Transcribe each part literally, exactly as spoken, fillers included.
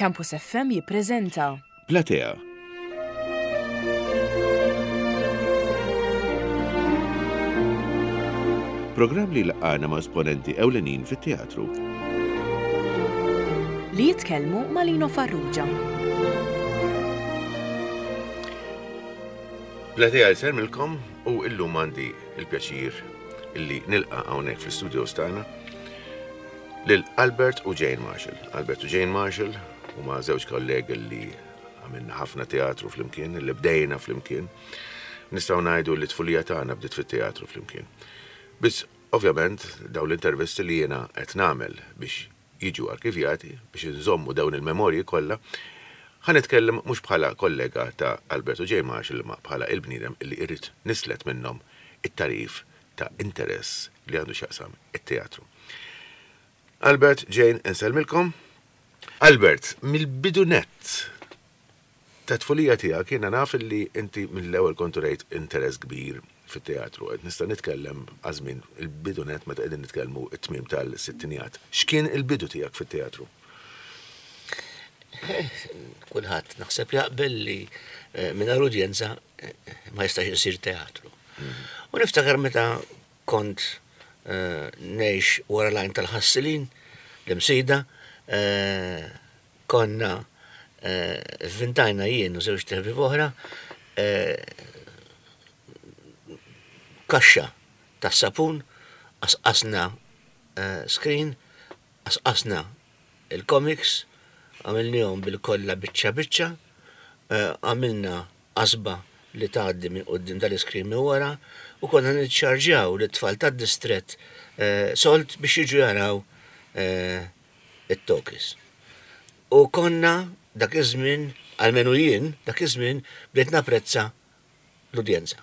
Campus F M jippreżenta Platea. Programm li laqana ma' esponenti ewlenin fit-teatru. Li jitkellmu ma' Lino Farrugia. Platea jsellmilkom u illum għandi il-pjaċir illi nilqa' hawnhekk fl-studios tagħna lil Albert u Jane Marshall. Albert u Jane Marshall huma żewġ kollegi li għamilna ħafna teatru flimkien, li bdejna flimkien. Nistgħu ngħidu li tfulija tagħna bdiet fit-teatru flimkien. Biss ovvjament dawn l-intervisti li jiena qed nagħmel biex jiġu arkivjati, biex inżommu dawn il-memorji kollha, ħa nitkellem mhux bħala kollega ta' Albert u Jane Marshall, imma bħala il-bniedem li irrid nislet minnhom it-tarif ta' interess li għandu x'jaqsam it-teatru. Albert, Jane, insellmilkom. Albert, mill-bidu nett ta' tfulija tiegħek jiena naf li inti mill-ewwel kont rejt interess kbir fit-teatru. Qed nista' nitkellem għażmin il-bidu nett meta qegħdin nitkellmu t-tmiem tal-sittinijat. X'kien il-bidu tiegħek fit-teatru? Kulħadd naħseb jaqbel li eh, mingħajr udjenza eh, ma jistax isir teatru. U niftakar meta kont eh, ngħix wara l-għajn tal-ħassilin, l-Imsida, eh, konna eh, vvintajna jien u żewġ ħbieb oħra eh, kaxxa tas-sapun, qasqasna eh, screen, qasqasna il-comics, għamilnihom bil-kolla biċċa biċċa, eh, għamilna qasba li tgħaddi minn quddiem dal-iskrin minn wara u konna niċċarġjaw lit-tfal tad-distrett eh, sold biex jiġu jaraw eh, it-talkies. U konna dak iż-żmien, almenu jien, dak iż-żmien bdejt napprezza l-udjenza.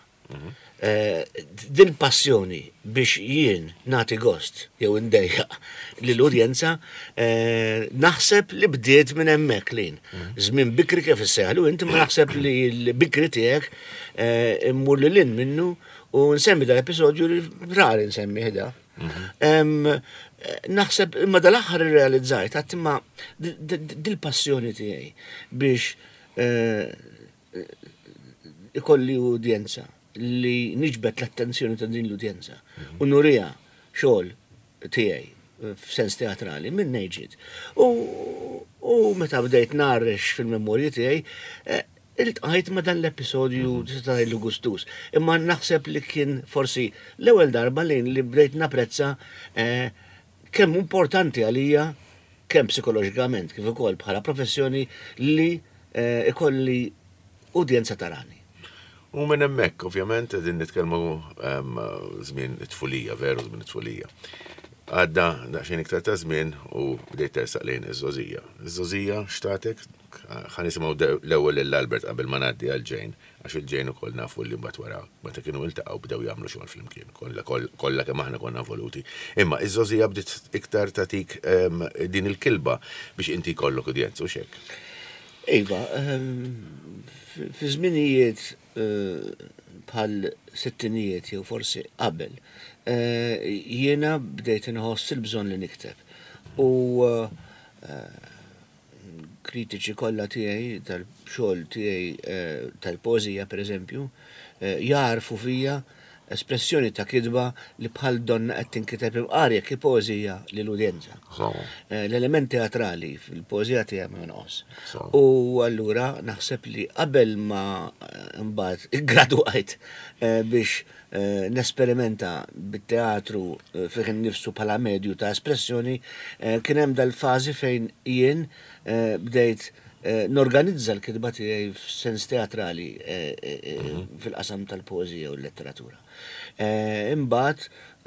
Eh, Din passjoni biex jien nagħti gost jew indejjaq lill-udjenza eh, naħseb li bdiet minn hemmhekk lin. Żmien bikri kif issejħlu inti, ma naħseb li l-bikri tiegħek eh, immur lil hinn minnu u nsemmi dal-episodju li rari nsemmi ħda. Em, eh, Naħseb imma dal-aħħar irrealizzajt għat imma dil-passjoni tiegħi biex eh, ikolli udjenza li niġbet l-attenzjoni ta' din l-udjenza u nurija xogħol tiegħi f'sens teatrali minn ġiet. U, u meta bdejt narrex fil-memorji tiegħi, eh, iltqajt ma' dan l-episodju tista' tgħidlu gustus. Imma naħseb li kien forsi l-ewwel darba li li bdejt napprezza eh, kemm importanti għalija, kemm psikoloġikament kif ukoll bħala professjoni, li eh, ikolli udjenza tarani. U minn hemmhekk, ovvjament, qegħdin nitkellmu em, żmien it-tfulija, veru żmien it-tfulija. Għadda daqsxejn iktar ta' żmien u bdejt tersaq lejn iż-żgħożija. Iż-żgħożija x'tatek? Ħa nisimgħu l-ewwel lil Albert qabel ma ngħaddi għal Jane, għax il-Jane ukoll nafu li mbagħad wara meta kienu iltaqgħu bdew jagħmlu xogħol flimkien. Kollha kollha kemm aħna konna involuti. Imma iż-żgħożija bdiet iktar tatik em, din il-kilba biex inti jkollok udjenza u xek. Iva, ehm, fi fi żminijiet eh, bħal sittinijiet jew forsi qabel, eh, jiena bdejt inħoss il-bżonn li nikteb. U eh, kritiċi kollha tiegħi tal-xogħol tiegħi eh, tal-poeżija, pereżempju, eh, jarfu fija espressjoni ta' kitba li bħal donna qed tinkiteb imqar jekk hi poeżija lill-udjenza. Eh, L-element teatrali fil-poeżija tiegħi ma jonqos. So. U allura naħseb li qabel ma eh, mbagħad gradwajt eh, biex eh, nesperimenta bit-teatru eh, fih innifsu bħala medju ta' espressjoni, eh, kien hemm dal-fażi fejn jien eh, bdejt eh, norganizza l-kitba tiegħi f'sens teatrali eh, eh, eh, fil-qasam tal-poeżija u l-letteratura. Eh, Imbagħad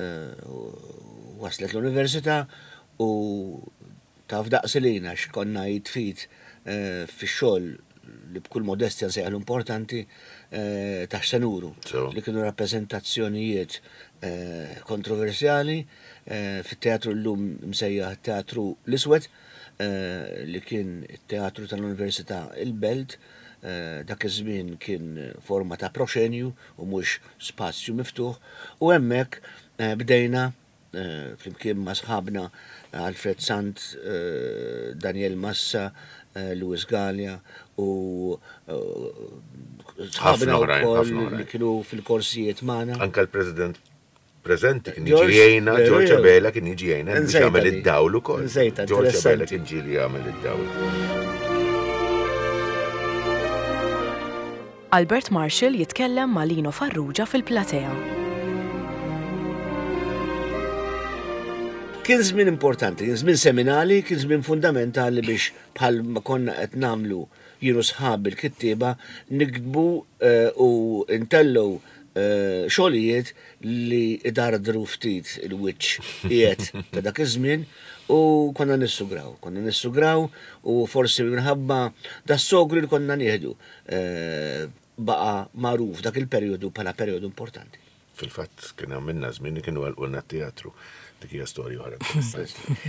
eh, waslet l-università u taf daqs lina x'konna jitfit eh, fix-xogħol li b'kull modestja nsejħlu importanti eh, ta' Xenuru, So. li kienu rappreżentazzjonijiet eh, kontroversjali eh, fit-teatru llum msejjaħ Teatru l-Iswed, eh, li kien it-teatru tal-Università il-Belt, eh, dak iż-żmien kien forma ta' proxenju u mhux spazju miftuħ, u hemmhekk eh, bdejna eh, flimkien ma' sħabna Alfred Sant, eh, Daniel Massa, eh, Louis Gallia u eh, sħabna Ħafna oħrajn, wkoll ħafna oħrajn. li kienu fil-korsijiet magħna. Anka l-President preżenti kien jiġi George, jgħinna, veru, George veru. Abela kien jiġi jgħinna biex Nżejta jagħmel di. id-dawl ukoll. Nżejta, George Abela interessanti. kien ġieli jagħmel id-dawl. Albert Marshall jitkellem ma' Lino Farrugia fil-platea. Kien żmien importanti, kien żmien seminali, kien żmien fundamentali biex bħal ma konna qed nagħmlu jien u sħab il-kittieba niktbu eh, u ntellgħu eh, xogħlijiet li idardru ftit il-wiċċ qiegħed ta' dak iż-żmien u konna nissugraw, konna nissugraw u forsi minħabba das-sogru li konna nieħdu eh, baqa magħruf dak il-perjodu bħala perjodu importanti. Fil-fatt kien għamilna żmien li kienu għalqulna t-teatru. Dik hija storja oħra interessanti.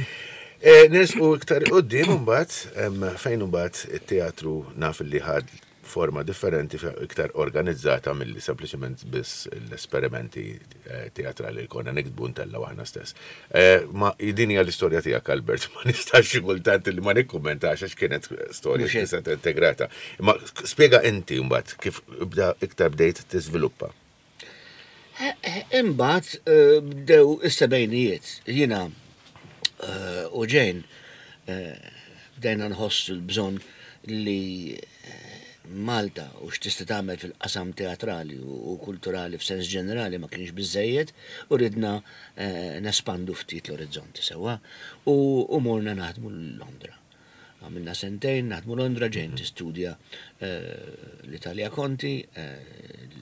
Eh, Nersqu iktar quddiem imbagħad em, fejn imbagħad it-teatru naf li ħad forma differenti fe- iktar organizzata milli sempliċement biss l-esperimenti eh, teatrali li konna niktbu ntellgħu aħna stess. Eh, Ma din hija l-istorja tiegħek Albert, ma nistax xi kultant li ma nikkummentax għax kienet storja Mhux hekk. kienet integrata. Ma spjega inti mbagħad kif bda iktar bdejt tiżviluppa. Imbagħad eh, bdew is-sebgħinijiet. Jiena eh, u Jane eh, bdejna nħossu l-bżonn li eh, Malta u x'tista' tagħmel fil-qasam teatrali u u kulturali f'sens ġenerali ma kienx biżejjed u ridna eh, nespandu ftit l-orizzonti sewwa u u morna naħdmu Londra. Għamilna sentejn, naħdmu Londra, Jane tistudja eh, l-Italja Conti, eh,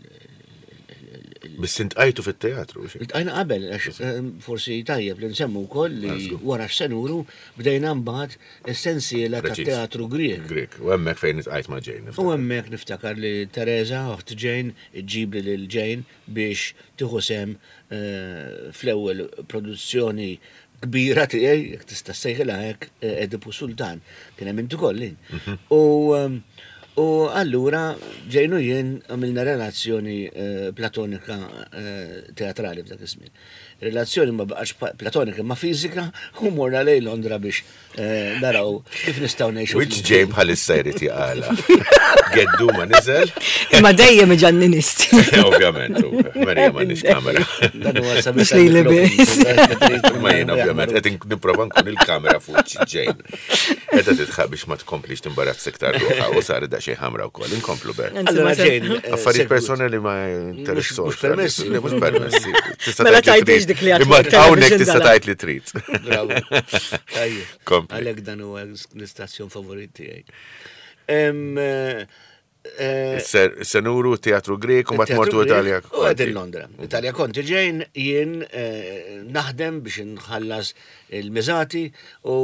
Biss intqajtu fit-teatru. xi? Iltqajna qabel, għax eh, forsi tajjeb li nsemmu wkoll li Għażlu. wara x'senuru bdejna mbagħad is-sensiela ta' Preċiż. teatru Grieg. Grek, u hemmhekk fejn itqajt ma' Jane. U hemmhekk niftakar li Teresa, oħt Jane, iġġibli lil Jane biex tieħu sehem eh, fl-ewwel produzzjoni kbira tiegħi, jekk tista' ssejħilha hekk, eh, Edipu Sultan. Kien hemm inti kollin. U ehm, u allura Jane u jien għamilna relazzjoni eh, platonika eh, teatrali f'dak iż-żmien. Relazzjoni ma baqax pa- platonika ma fiżika u morna lejn Londra biex eh, naraw kif nistgħu ngħixu. Which Jane bħalissa jrid jaqala. Geddu ma niżel. Imma dejjem iġanninisti. Ovvjament, u Marija m'għandix kamera. Dan huwa sabiħ Mhux lili biss. Ma jien ovvjament qed ink- nipprova nkun il-kamera fuq Jane. Qed tidħaq biex ma tkomplix timbarazz iktar ruħha u sar daqsxejn ħamra wkoll. Inkomplu ber. Anzi, Allora ma se- Jane, eh, Affarijiet segwit. personali ma interessawx. Mhux permessi. Le, Mhux permessi. Tista' Mela tgħid li tgħidix trid. dik li għad Imma fuq hawnhekk television tista' dala. tgħid li trid. Bravo. Tajjeb. Kompli. Għalhekk dan huwa l-istazzjon favorit tiegħi. Em, eh, eh, Senuru, teatru Grek, u mbagħad il-teatru mortu Grek Italja. U għed il-Londra. Italja Conti Jane jien eh, naħdem biex nħallas il-miżati u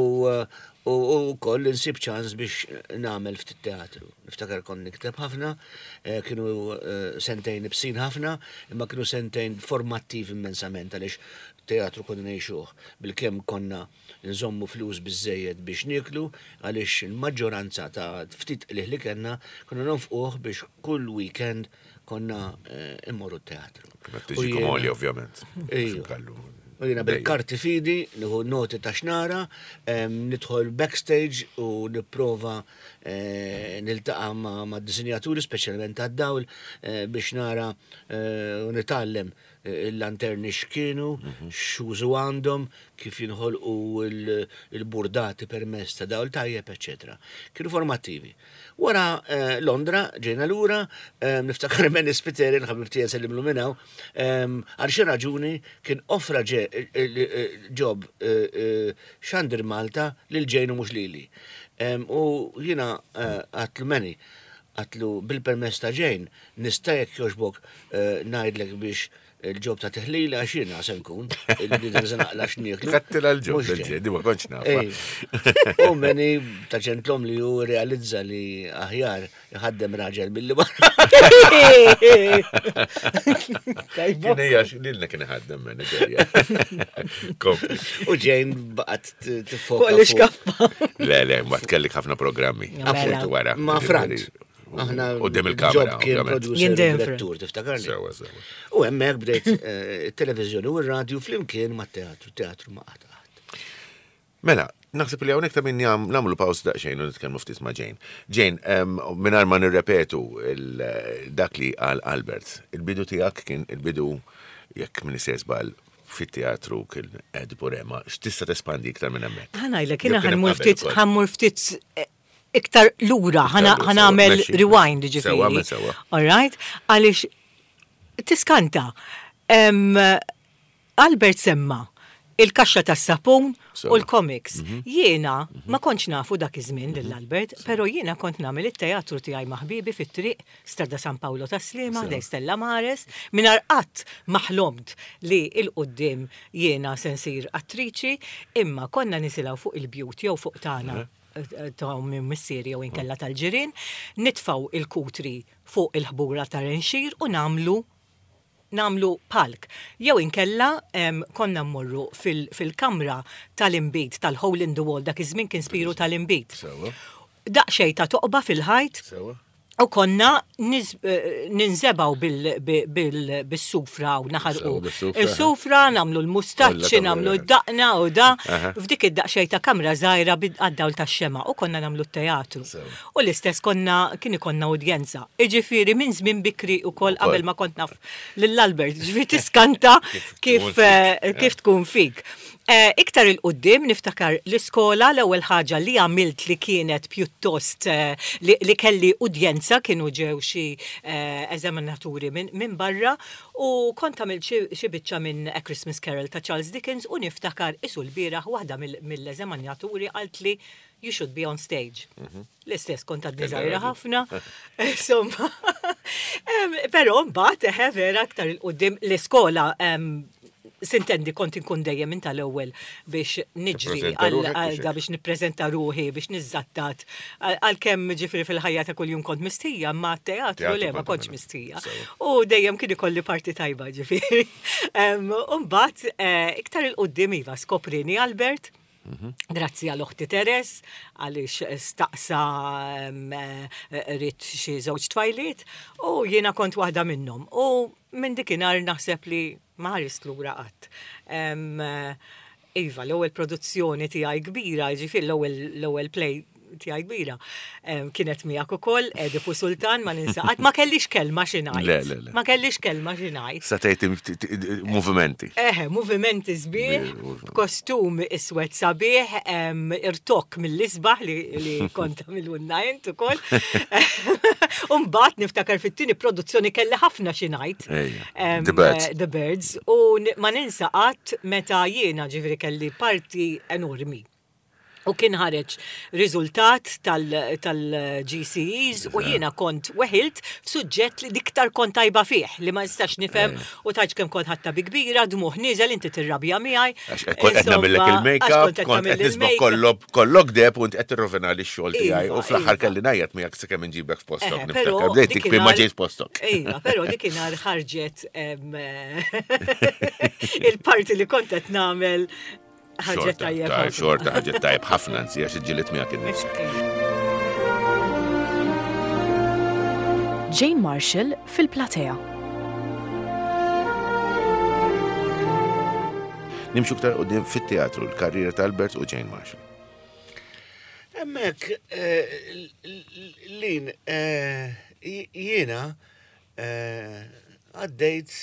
u u koll insib ċans biex nagħmel ftit teatru. Niftakar kont nikteb ħafna, eh, kienu eh, sentejn ibsin ħafna, imma kienu sentejn formattiv immensament għaliex teatru konna ngħixuh bil-kemm konna nżommu flus biżejjed biex nieklu għaliex il-maġġoranza ta' ftit qlih li kellna konna nonfquh biex kull weekend konna eh, immorru teatru. Ma tiġi komoli, ovvjament. Ejju. Kallu. U jiena bil-karti fidi, nieħu noti ta' xnara, em, nidħol backstage u nipprova eh, niltaqa' ma' ma' disinjaturi, speċjalment tad-dawl, eh, biex nara eh, u nitgħallem eh, il-lanterni x'kienu, x'użu għandhom, kif jinħolqu il- il-burdati permezz ta' dawl tajjeb, eċetera. Kienu formattivi. Wara eh, Londra, ġejna lura, eh, niftakar Manny Spiteri, l-ħabib tiegħi nsellimlu minn hawn, em, għal xi raġuni kien offra ġe- eh, eh, job eh, eh, Xandir Malta lil Jane u mhux lili. Em, U jiena eh, għatlu Manny, għatlu bil-permess ta' Jane, nista' jekk jogħġbok eh, ngħidlek biex il-job ta' teħlila għax jiena se nkun, il-bniedem se naqla x'nieklu. Kattila l-job, Mhux Jane. l-ġen, di ma kontx nafa. Ej. U Manny ta' ġentlom li ju realizza li aħjar iħaddem raġel billi barra. Tajba. Kien hija lilna kien iħaddem manager. Kompli. U Jane baqgħet tiffoka. Fuq l-iskaffa. Le, le, ma tkellik ħafna programmi. Mela. Appuntu wara. Ma' Frant. Aħna Quddiem il-kamera, Job kien ovvjament. producer Jien u dejjem direttur, tiftakarni. Sewa, sewa. U hemmhekk bdejt eh, it-televiżjoni u r-radju flimkien mat-teatru, teatru ma qatt qatt. Mela, naħseb li hawnhekk ta' min jam- nagħmlu pawż daqsxejn u nitkellmu ftit ma' Jane. Jane, em, mingħajr ma nirrepetu il- dak li qal Albert, il-bidu tiegħek kien il-bidu jekk min żball fit-teatru kien Ed Burema, x'tista' tespandi iktar minn hemmhekk? Ħa ngħidlek, jiena Jew kien hemm ħa mmur qabel ftit, ukoll. ħa mmur ftit eh, iktar lura, lura, ħa nagħmel sewa, mexi. rewind Sewa, ġifieri. sewa. All right? Għaliex tiskanta. Em, Albert semma il-kaxxa tas-sapun Sewa. u l-comics. Jiena ma kontx nafu dak iż-żmien lil Albert, però jiena kont nagħmel it-teatru tiegħi ma' ħbibi fit-triq Strada San Paolo tas-Sliema, ħdejn Stella Mares, mingħajr qatt ma ħlomt li 'l quddiem jiena se nsir attriċi, imma konna nisilgħu fuq il-bjut jew fuq tagħna eh, ta' minn missieri jew inkella tal-ġirien, nitfaw il-kutri fuq il-ħbura ta' renxir u nagħmlu nagħmlu palk. Jew inkella em, konna mmorru fil- fil-kamra tal-imbit, tal-hole in the wall, dak iż-żmien kien spiru tal-imbit. Sewa. Daqxej ta' toqba fil-ħajt Sewa. u konna niz- eh, ninżebgħu bil- bil- bis-sufra u naħarqu. Sewa, bis-sufra. Il-sufra, nagħmlu l-mustaċċi, Kollha nagħmlu tagħmlu, d-daqna u da. Aha. F'dik id-daqxej ta' kamra żgħira għad-dawl tax-xema u konna nagħmlu t-teatru. Sewa. U l-istess konna kien ikollna udjenza. Iġifieri minn żmien bikri u kol qabel ma kont naf lill-Albert, ġifieri tiskanta Kif tkun kif eh, fik. kif tkun fik. Eh, Iktar 'il quddiem niftakar l-iskola l-ewwel ħaġa li għamilt li kienet pjuttost eh, li, li kelli udjenza kienu ġew xi eh, eżaminaturi minn min barra u kont għamilt xi xi biċċa minn A Christmas Carol ta' Charles Dickens u niftakar isu l-bieraħ waħda mill- mill-eżaminaturi qalt li you should be on stage. L-istess kont għadni Kellha żgħira raġun. ħafna. Insomma. Em, Però mbagħad eħe vera aktar 'il quddiem l-iskola em, sintendi kont inkun dejjem minn tal-ewwel biex niġri Tippreżenta għal ruħek għal biex da biex nippreżenta ruħi biex niżżattat għalkemm ġifieri fil-ħajja ta' kuljum kont mistija, ma teatru Teatru le ma kont kontx tagħmel. mistija. Sewa. U dejjem kien ikolli parti tajba ġifieri. Em, U mbagħad eh, iktar 'il quddiem iva skoprini Albert. Grazzi għal oħti Teres, għaliex staqsa em, eh, ried xi żewġ tfajliet u jiena kont waħda minnhom. U minn dikinhar naħseb li ma ħarist lura qatt. Em, eh, Iva, l-ewwel produzzjoni tiegħi kbira, ġifieri l-ewwel l-ewwel play tiegħi kbira, em, kienet miegħek ukoll Edipu Sultan ma ninsa qatt ma kellix kelma xi ngħid. Le, le, le. Ma kellix kelma xi ngħid. Sa tgħid movimenti. Eħe, movimenti sbieħ, Movimenti. kostum iswed sabiħ, em, irtokk mill-isbaħ li, li kont għamiltulna int ukoll. Umbagħad niftakar fit-tieni produzzjoni kelli ħafna xi ngħid. Ejja, Em, The Birds. eh, The Birds. U n- ma ninsa qatt meta jiena ġifieri kelli parti enormi. U kien ħareġ riżultat tal-G C Es u jiena kont weħilt f'suġġett li l-iktar kont tajba fih li ma nistax nifhem u tgħidx kemm kont ħadtha bi kbira, dmugħ nieżel inti tirrabja miegħi. Għax kont qed nagħmillek Insomma, il-make-up, għax kont qed kont qed tagħmel nisbok il-make-up. kollok kollok deb u int qed tirrovina li x-xogħol tiegħi u Iva, fl-aħħar iva. kelli ngħajjat miegħek sakemm inġibek f'postok Eħe, niftakar. però Bdejt tikbi ma dikinhar- ġejt postok. Iva, però dikinhar ħarġet em, il-parti li kont qed nagħmel ħarġet Xorta, tajjeb. taj- ħafna. xorta ħarġet tajjeb ħafna nsi għax iġġilit miegħek innifsek. Jane Marshall fil-platea. Nimxu iktar quddiem fit-teatru l-karriera ta' Albert u Jane Marshall. Hemmhekk, eh, lin, eh, jiena eh, għaddejt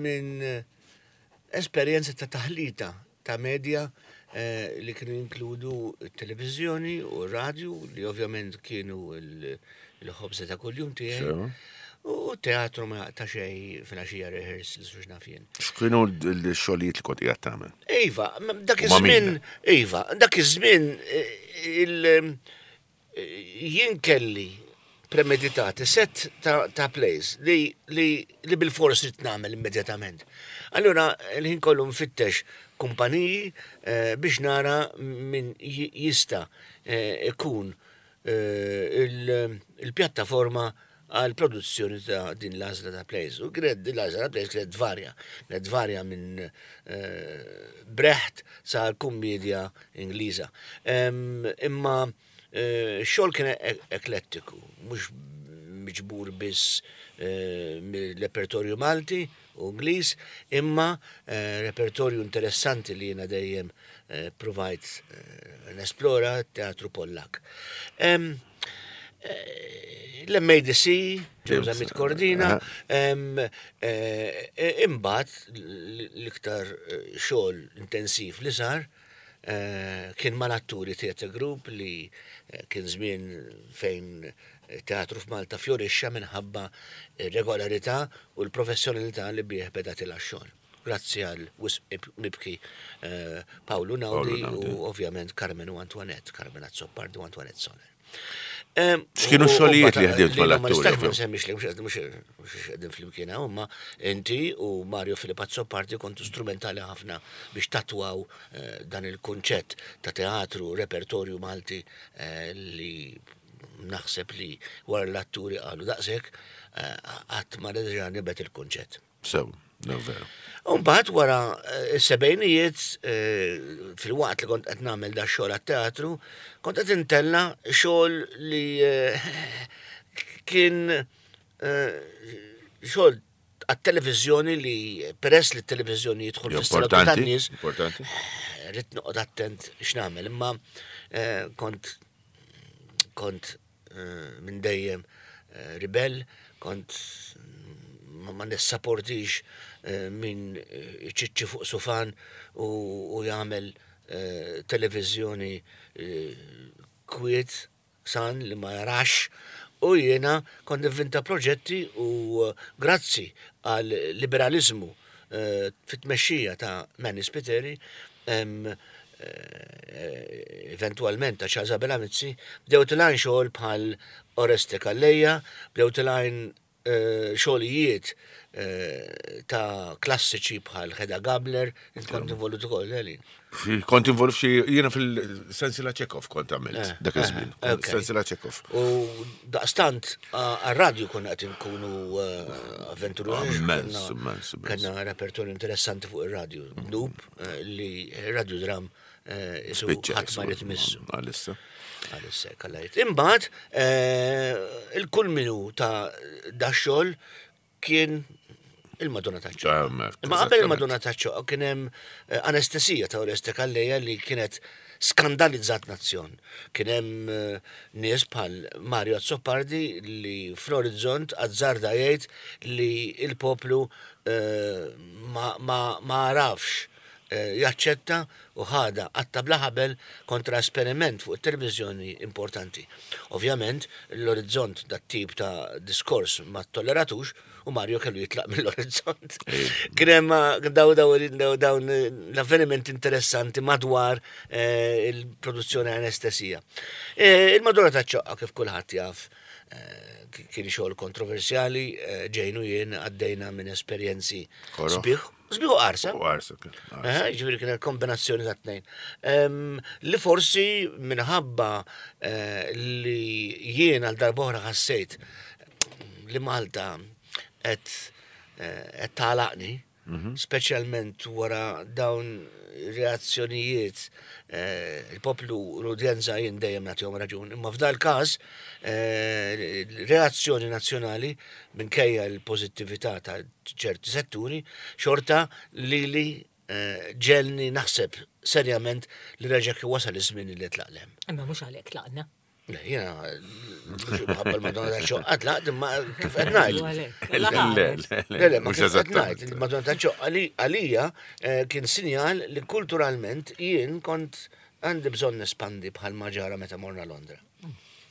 minn esperjenza ta' taħlita ta' media eh, li kienu jinkludu televizjoni u radio li ovvjament kienu il- il-ħobza ta' kuljum tiegħi. Sewa. U teatru ma ta' xej filgħaxija rehearsals u x'naf jien. X'kienu l-xogħlijiet li kont qiegħed tagħmel? Iva, m- dak U ma' min? iż-żmien, iva, dak iż-żmien eh, il eh, jien kelli premeditati set ta', ta' plays li, li, li bil-fors ridt nagħmel immedjatament. Allura l-ħin kollu nfittex kumpaniji eh, biex nara min ji- jista eh, ikun eh, il- il-pjattaforma għal produzzjoni ta' din l-għażla ta' plays. U kienet din l-għażla ta' plays kienet varja. Kienet varja minn eh, Brecht sa' kummedja Ingliża. Em, Imma eh, xogħol kien e- eklettiku, mhux miġbur biss eh, mill-repertorju Malti u Ingliż, imma eh, repertorju interessanti li jiena dejjem eh, provajt eh, nesplora, teatru Pollak. Em, eh, L-M A D C, James, Zammit Cordina, aha. em, eh, eh, imbagħad l- l-iktar eh, xogħol intensiv li sar eh, kien mal-Atturi Theatre Group, li eh, kien żmien fejn teatru f'Malta fjorixxa minħabba regolarità u l-professjonalità li bih beda tila xogħol. Grazzi għal wisq mibki eh, Paolo Naudi Naudi. u ovvjament Carmen u Antoinette, Carmen Azzopardi u Antoinette Soler. Em, X'kienu u- u x-xogħlijiet li mbagħad- ħdimt li ma mal-atturi, nistax ma ovvju? nsemmix li mhux mhux mhux qegħdin flimkien hawn, imma inti u Mario Filip Azzopardi kontu strumentali ħafna biex tatwaw eh, dan il-kunċett ta' teatru, repertorju Malti eh, li naħseb li wara l-atturi qalu daqshekk eh, qatt ma reġa' nibet il-kunċett. Sew, no, veru. Umbagħad wara eh, s-sebgħinijiet, eh, fil-waqt li kont qed nagħmel da xogħol għat-teatru, kont qed intella xogħol li eh, kien eh, xogħol għat-televiżjoni, li peress li t-televiżjoni jidħol fis-salottu Importanti, tan-nies, importanti. rrid noqgħod attent x'nagħmel, imma eh, kont kont eh, minn dejjem eh, ribel, kont ma, ma nissapportix eh, min eh, iċiċċi fuq sufan u, u jagħmel eh, televiżjoni eh, kwiet san li ma jarax, u jiena kont nivvinta proġetti u eh, grazzi għal liberalizmu eh, fit-tmexxija ta' Manny Spiteri, em, eh, eventualment ta' Charles Abela Mizzi, bdew tilgħin xogħol bħal Oreste Calleja, bdew tilgħin eh, xogħlijiet eh, ta' klassiċi bħal Hedda Gabler, int kont involut ukoll, Eli. Fi- Kont involut f'xi, jiena fil-Sensila Chekhov kont għamilt Eh, dak iż-żmien. eh, ok. Sensila Chekhov. U daqstant għal-radju konna qed inkunu eh, avventurużi. Immens, Kellna- immens, immens. Kellna repertorju interessanti fuq ir-radju. Dub eh, li radio dram eh, isu Spiċċa, ħadd ma jrid missu. Għalissa. Għalissa, kallajt. Imbagħad eh, il-kulminu ta' da xogħol kien il-Madonna ta' Ah, ma- Imma qabel eżattament. il-Madonna ta' ċoqqa kien hemm eh, anestesija ta' Oreste Calleja li kienet skandalizzat nazzjon. Kien hemm eh, nies bħal Mario Azzopardi li fl-Orizzont azzarda jgħid li il-poplu eh, ma, ma, ma għarafx eh, jaċċetta u ħada għatta bla ħabel kontra esperiment fuq it-televizjoni importanti. Ovvjament, l-Orizzont dat tip ta' diskors ma tolleratux u Mario kellu jitlaq mill-Orizzont. Kien hemm daw daw daw dawn l-avveniment interessanti madwar eh, il-produzzjoni anestesija. Eh, Il-Madonna ta' ċoqqa, kif kulħadd jaf, eh, kien xogħol kontroversjali, eh, Jane u jien għaddejna minn esperjenzi Koroh. sbieħ, sbieħ u qarsa. U qarsa, kien, qarsa. Eh, Ġifieri kien kombinazzjoni ta' tnejn. Em, Li forsi minħabba eh, li jien għal darb'oħra ħassejt li Malta qed eh, qed tagħlaqni, speċjalment wara dawn reazzjonijiet eh, il-poplu u l-udjenza jien dejjem nagħtihom raġun. Imma f'dal każ eh, reazzjoni nazzjonali, minkejja l-pożittività ta' ċerti setturi, xorta li li eh, ġelni naħseb serjament li reġa' kien wasal iż-żmien li tlaq lem. Imma mhux għalhekk tlaqna. Le, jiena mhux minħabba l-Madonna ta' ċoqqa tlaqt, imma kif qed ngħid. U għalhekk. Le, le, le, Le, le, ma mhux kif qed ngħid, eżattament. il-Madonna ta' ċoqqa li għalija eh, kien sinjal li kulturalment jien kont għandi bżonn nespandi bħal ma ġara meta morna Londra.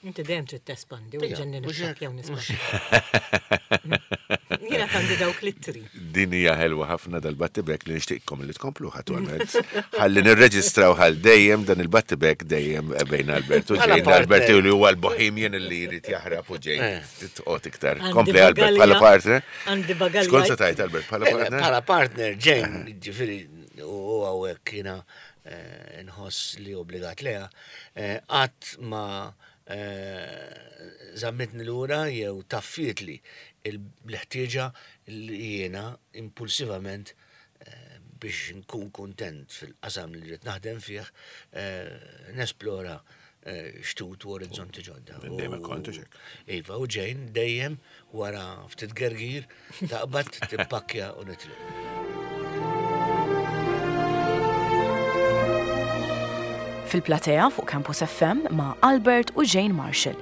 Inti dejjem trid tespandi u Ija, ġenni mhux niftak jew hekk, nispandi. Jiena għandi dawk l-ittri. Din hija ħelwa ħafna dal-battibek li nixtieqkom li tkomplu attualment. Ħalli nirreġistraw ħal dejjem dan il-battibek dejjem bejn Albert u Bħala Jane. Albert partner. li huwa l-Bohemian li jrid jaħrab u Jane Eh. titqgħod iktar. Għandi Kompli, Albert, bagalja- bħala partner. Għandi bagalja. Xkont se tajt, Albert, bħala Eh, partner? Bħala partner, Jane, ġifieri, u hawnhekk jiena eh, nħoss li obbligat leha, eh, qatt ma eh, zammitni lura jew taffiet li l-ħtieġa li jiena impulsivament eh, biex nkun kontent fil-qasam li rrid naħdem fih, eh, nesplora eh, xtut u orizzonti ġodda. Dejjem U- kont hekk. Iva, u Jane dejjem wara ftit gergir taqbad tippakkja u nitlaq. Fil-platea fuq Campus F M ma' Albert u Jane Marshall.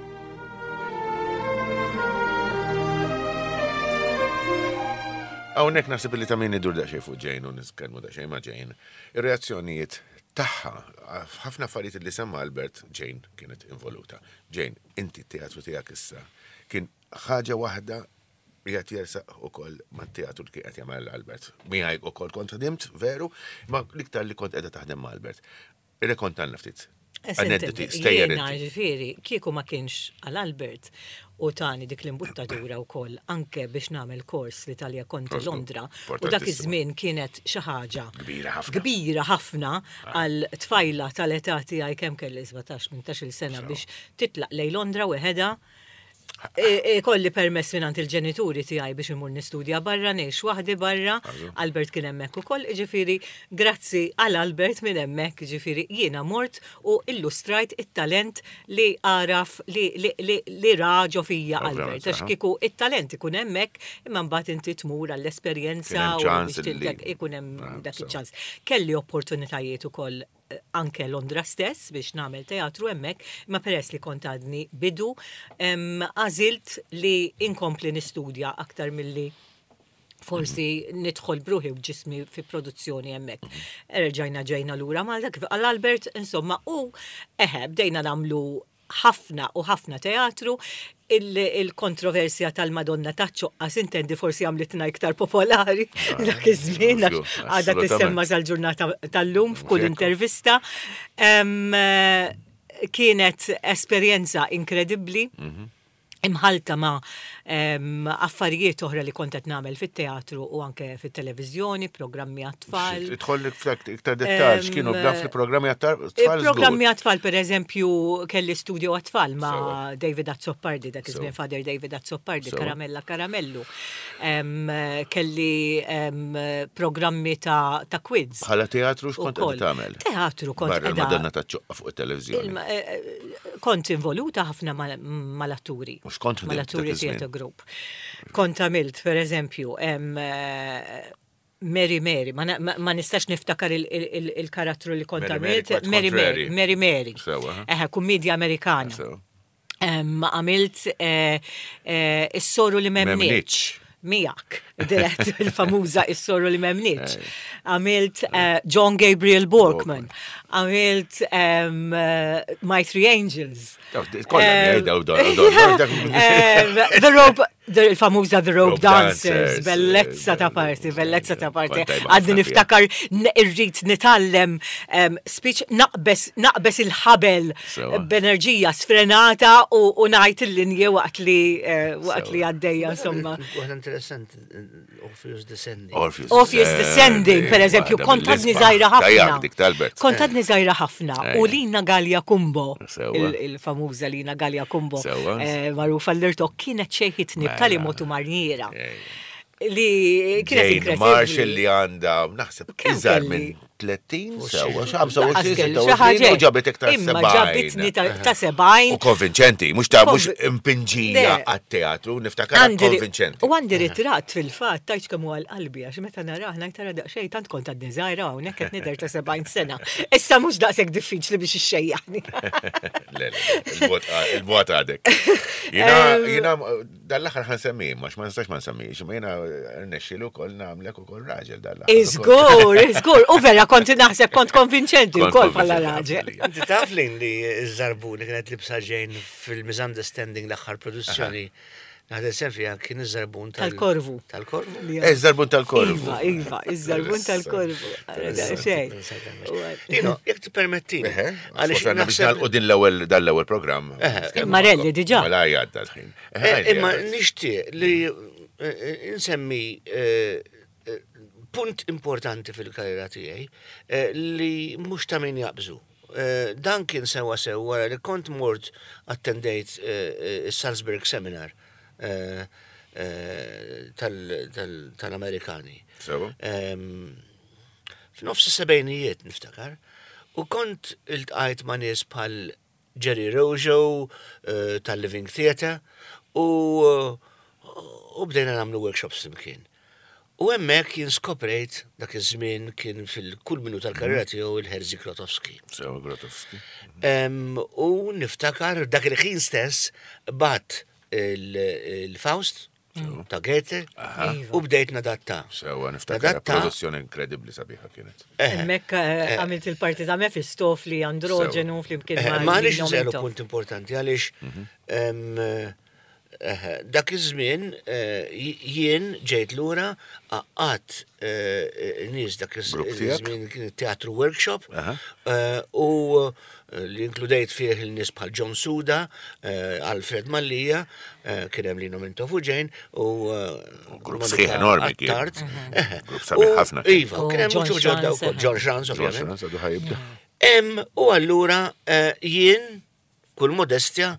Hawnhekk naħseb li ta' min idur daqsxejn fuq Jane u nitkellmu daqsxejn ma' Jane. Ir-reazzjonijiet tagħha ħafna affarijiet li semma Albert, Jane kienet involuta. Jane, inti t-teatru tiegħek issa kien ħaġa waħda qiegħed jersaq ukoll mat-teatru li kien qed jagħmel Albert. Miegħi ukoll kont ħdimt, veru, ma l-iktar li kont qiegħda taħdem ma' Albert. Irrekontanna ftit. Aneddoti, stejjer Jiena inti. Ġifieri, kieku ma kienx għal Albert u tani dik l-imbuttatura wkoll anke biex nagħmel kors l-Italja Conti Kors, Londra u dak importantissimo. iż-żmien kienet xi ħaġa Kbira ħafna. Kbira ħafna għal tfajla tal-età tiegħi, kemm kelli, sbatax, tmintax-il sena, biex titlaq lejn Londra weħeda. E- e, Kolli permess minn il-ġenituri tiegħi biex imur nistudja barra, ngħix waħdi barra. Albert kien hemmhekk ukoll, ġifieri grazzi għal Albert minn hemmhekk, ġifieri jiena mort u illustrajt it-talent li għaraf li li li, li ra ġo fija Ovvjament, Albert. Għax aha. kieku it-talent ikun hemmhekk, imma mbagħad inti tmur għall-esperjenza Kien hemm u ċans biex li- tintek ikun hemm Ah, dak so. iċ-ċans. Kelli opportunitajiet ukoll eh, anke Londra stess biex nagħmel teatru hemmhekk, imma peress li kont għadni bidu, em, għażilt li inkompli nistudja aktar milli forsi nidħol b'ruħi u ġismi fi produzzjoni hemmhekk. Erġajna ġejna lura Malta kif għal Albert, insomma, u eħe, bdejna nagħmlu ħafna u ħafna teatru. Il-kontroversja tal-Madonna taċ-ċoqqa intendi forsi għamlitna iktar popolari dak iż-żmien, għax għadha tissemma sal-ġurnata tal-lum f'kull Ekku. intervista. Em, eh, Kienet esperjenza inkredibbli imħalta ma' em, affarijiet oħra li kont qed nagħmel fit-teatru u anke fit-televiżjoni, programmi għat-tfal. Idħollek f'dak iktar dettal, x'kienu Em, b'dan fil-programmi għat-tfal? Programmi għat-tfal, per eżempju, kelli studio għat-tfal ma' Sewa. David Azzopardi, dak iż-żmien Sewa. Father David Azzopardi, Sewa. Karamella Karamellu. Em, kelli em, programmi ta', ta' quiz. Bħala teatru x'kont Ukoll. qed tagħmel? Teatru kont Barra qiegħda- l-Madonna taċ-ċoqqa fuq it-televiżjoni. Il- eh, eh, Kont involuta ħafna mal- mal-atturi. Mhux kont ħdimt dak Mal-atturi iż-żmien. theatre group. Kont għamilt, per eżempju, em, eh, Mary Mary, ma, na- ma, ma nistax niftakar il- il- il- il-karattru li kont Mary Mary, għamilt. quite Mary Mary, contrary. Mary Mary. Sewa, ha? Eħe, kummedja Amerikana. Sewa. Em, Għamilt eh, eh, Is-soru li m'emmnitx. M'emmnitx. Miegħek, dirett il-famuża Is-soru li m'emmnitx. Għamilt eh, John Gabriel Borkman. Għamilt em, eh, My Three Angels. Daw, kollha miegħi daw, daw, daw, daw, dak- Em, The Rope, the- il-famuża The Rope Rope Dancers, Dancers, bellezza ta' eh, parti, bellezza ta' parti. Kont tajba Għadni ħafna fiha. niftakar n- irrid nitgħallem em, speech, naqbes naqbes il-ħabel Sewa. b'enerġija sfrenata u u ngħid il-linji waqt li eh, waqt li Sewa. għaddejja, insomma. Waħda interessanti, Orpheus Descending. Orpheus Orpheus Descending, per eżempju, waħda kont għadni mill-isbaħ. żgħira ħafna. Tajjak dik t'Albert. Kont għadni żgħira ħafna. U Ejja. Lina Gallia Kumbo, Sewa. il- il-famuża Lina Gallia Kumbo, Sewa. eh, magħrufa l-irtok, kienet xejħitni b'tali Mela. mod u manjiera. Ejja. Li kienet Jane Marshall inkredibbli. li għandha, naħseb, Kemm iżgħar kelli? minn tletin, sewa, Lanqas ħamsa u għoxrin, kelli xi ħaġa sitta u għoxrin, u ġabet iktar Imma sebgħin. ġabitni ta' ta' sebgħin. U konvinċenti, mhux ta' mhux Konvi- impinġija Le. għat-teatru, niftakar Għandi ri- konvinċenti. U għandi ritratt fil-fatt, tajċ kemm huwa l-qalbi, għax meta narah ngħid tara daqsxejn tant kont għadni żgħira, hawnhekk qed nidher ta' sebgħin sena. Issa mhux daqshekk diffiċli biex ixxejjaħni. Le, le, il-bot il-bot għadek. Jiena, jiena, dal-aħħar ħa nsemmi, mhux ma nistax ma nsemmix, ma jiena rnexxielu kol nagħmlek ukoll raġel dal-aħħar. Iżgur, iżgur, u vera kont naħseb kont konvinċenti Kont wkoll bħala konvinċenti, raġel. ħafna. Inti taf lin li iż-żarbun li kienet libsa Jane fil-Misunderstanding, l-aħħar produzzjoni. Naħdem sem fija, kien iż-żarbun tal- Tal-Korvu. Tal-Korvu? Li- Eh, żarbun tal-Korvu. Iva, iva, iż-żarbun tal-Korvu. Xejn. Tino, jekk tippermettini. Eħe, Għaliex għaliex biex naħseb- nagħlqu din l-ewwel dal-ewwel programm. Imma relli diġà. Mela jgħadda l-ħin. Eħe, Eh, Imma għadda. nixtieq li eh, insemmi eh, eh, punt importanti fil-karriera tiegħi eh, li mhux ta' min jaqbżu. Eh, Dan kien sewa sew wara li kont mort attendejt eh, eh, is-Salzburg Seminar eh, eh, tal- tal- tal-Amerikani. Sewa. Em, F'nofs is-sebgħinijiet niftakar, u kont iltqajt ma' nies bħal Jerry Rojo eh, tal-Living Theatre u u bdejna nagħmlu workshops flimkien. U hemmhekk jien skoprejt dak iż-żmien kien fil-kulminu tal-karriera tiegħu il-Jerzy Grotowski. Sewa Grotowski. Em, U niftakar dak il-ħin stess bgħatt il-Faust ta' Goethe u bdejt nadatta. Sewa niftakar Nadatta. produzzjoni inkredibbli sabiħa kienet. Hemmhekk eh, għamilt il-parti ta' Mefistofli, androgenu, flimkien Eh, ma' Ma għalix Lino nżelu Mintoff. punt importanti, għalix em, eh, dak iż-żmien eh, jien ġejt lura għaqqadt nies dak Grupp tiegħek? iż-żmien kien teatru workshop Aha. eh, u eh, li inkludejt fih il-nies bħal John Suda, eh, Alfred Mallia, eh, kien hemm Lino Mintoff u Jane u eh, Grupp Monica sħiħ enormi kien. Attard. Eh, Grupp sabiħ u- ħafna kien. Iva, U kien hemm John muċu ġodda Schranz, wkoll, eh. John Schranz, John ovvjament. Schranz għadu ħa jibda. Em, u allura eh, jien, kull modestja,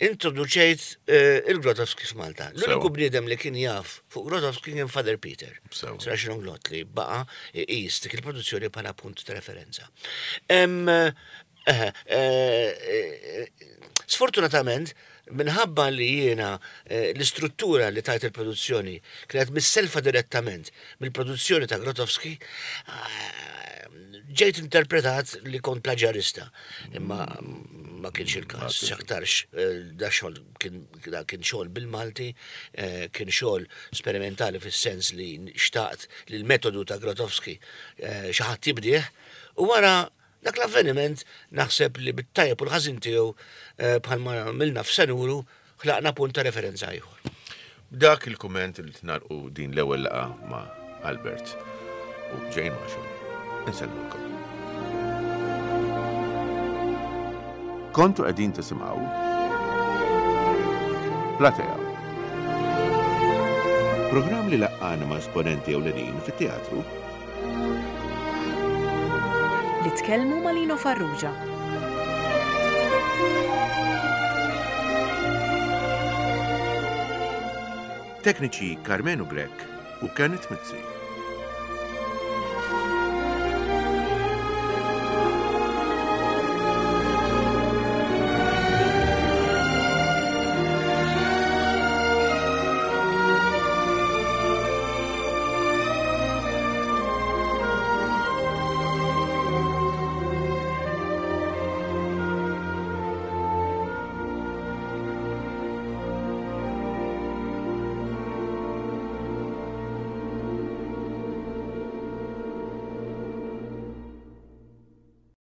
introduċejt eh, il-Grotowski f'Malta. L-uniku Sewa. bniedem li kien jaf fuq Grotowski kien Father Peter. Sewa. Srax Glot li baqa iqis dik il-produzzjoni bħala punt ta' referenza. Em, eh, eh, eh, Sfortunatament, minħabba li jiena eh, l-istruttura li tajt il-produzzjoni kienet misselfa direttament mill-produzzjoni ta' Grotowski, eh, ġejt interpretat li kont plaġjarista. Imma ma kienx il-każ, x'aktarx eh, da xogħol kien da kien xogħol bil-Malti, eh, kien xogħol sperimentali fis-sens li xtaqt li l-metodu ta' Grotowski eh, xi ħadd jibdih u wara dak l-avveniment naħseb li bit-tajjeb u l-ħażin tiegħu eh, bħalma għamilna f'Senuru ħlaqna punt ta' referenza ieħor. B'dak il-kumment li nagħlqu din l-ewwel laqgħa ma' Albert u Jane Marshall. Insellmulkom. Kontu qegħdin tisimgħu Platea. Programm li laqqana ma' esponenti ewlenin fit-teatru Li tkellmu ma' Lino Farrugia. Tekniċi Carmenu Grech u Kenneth Mizzi.